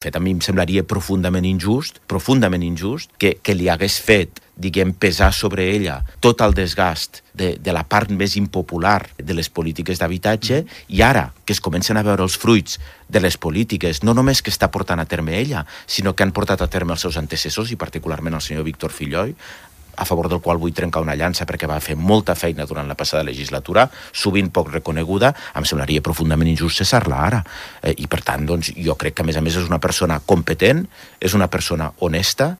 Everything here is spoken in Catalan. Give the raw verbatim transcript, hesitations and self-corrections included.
De fet, a mi em semblaria profundament injust, profundament injust, que, que li hagués fet, diguem, pesar sobre ella tot el desgast de, de la part més impopular de les polítiques d'habitatge, i ara que es comencen a veure els fruits de les polítiques, no només que està portant a terme ella, sinó que han portat a terme els seus antecessors, i particularment el senyor Víctor Fillol, a favor del qual vull trencar una llança perquè va fer molta feina durant la passada legislatura, sovint poc reconeguda, em semblaria profundament injust cessar-la ara. Eh, I per tant, doncs, jo crec que a més a més és una persona competent, és una persona honesta,